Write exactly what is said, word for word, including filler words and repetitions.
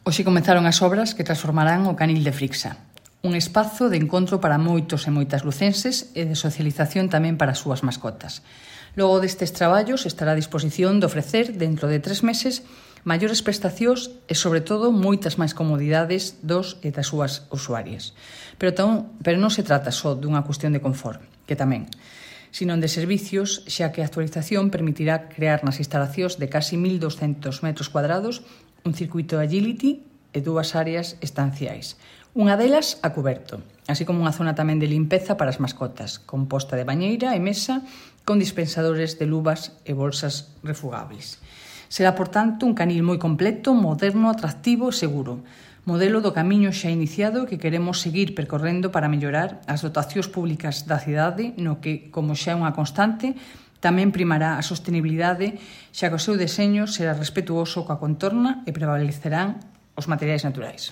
Hoxe comenzaron as obras que transformarán o Canil de Frixa, un espazo de encontro para moitos e moitas lucenses e de socialización tamén para as súas mascotas. Logo destes traballos estará a disposición de ofrecer, dentro de tres meses, maiores prestacións e, sobre todo, moitas máis comodidades dos e das súas usuarias. Pero, tan, pero non se trata só dunha cuestión de confort, que tamén, sino de servicios, xa que a actualización permitirá crear nas instalacións de casi mil douscentos metros cuadrados un circuito agility e dúas áreas estanciais. Unha delas a cuberto, así como unha zona tamén de limpeza para as mascotas, con posta de bañeira e mesa, con dispensadores de luvas e bolsas refugables. Será, por tanto, un canil moi completo, moderno, atractivo e seguro, modelo do camiño xa iniciado que queremos seguir percorrendo para mellorar as dotacións públicas da cidade, no que, como xa é unha constante, tamén primará a sostenibilidade, xa que o seu deseño será respetuoso coa contorna e prevalecerán os materiais naturais.